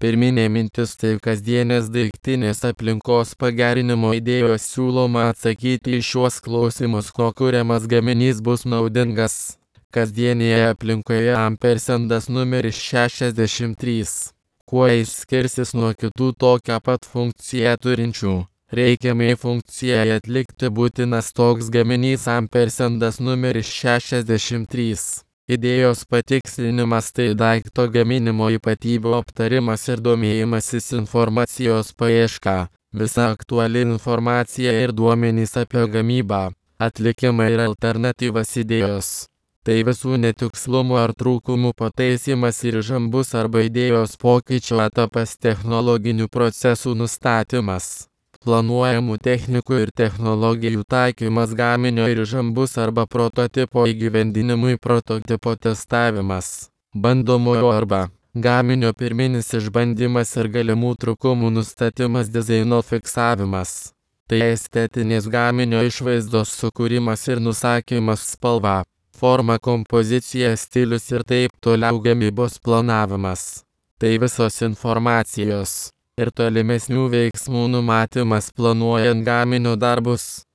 Pirminė mintis tai kasdienės daiktinės aplinkos pagerinimo idėjos siūloma atsakyti į šiuos klausimus, kuo kuriamas gaminys bus naudingas. Kasdienėje aplinkoje ampersendas numeris 63. Kuo jis skirsis nuo kitų tokią pat funkciją turinčių? Reikiamai funkcijai atlikti būtinas toks gaminys ampersendas numeris 63. Idėjos patikslinimas tai daikto gaminimo ypatybių aptarimas ir domėjimasis informacijos paieška, visa aktuali informacija ir duomenys apie gamybą, atlikimą ir alternatyvas idėjos. Tai visų netikslumų ar trūkumų pataisymas ir žambus arba idėjos pokyčio etapas, technologinių procesų nustatymas, planuojamų technikų ir technologijų taikymas, gaminio ir žambus arba prototipo įgyvendinimui, prototipo testavimas, bandomojo arba gaminio pirminis išbandymas ir galimų trūkumų nustatymas, dizaino fiksavimas. Tai estetinės gaminio išvaizdos sukūrimas ir nusakymas, spalva, forma, kompozicija, stilius ir taip toliau, gamybos planavimas. Tai visos informacijos ir tolimesnių veiksmų numatymas planuojant gaminio darbus.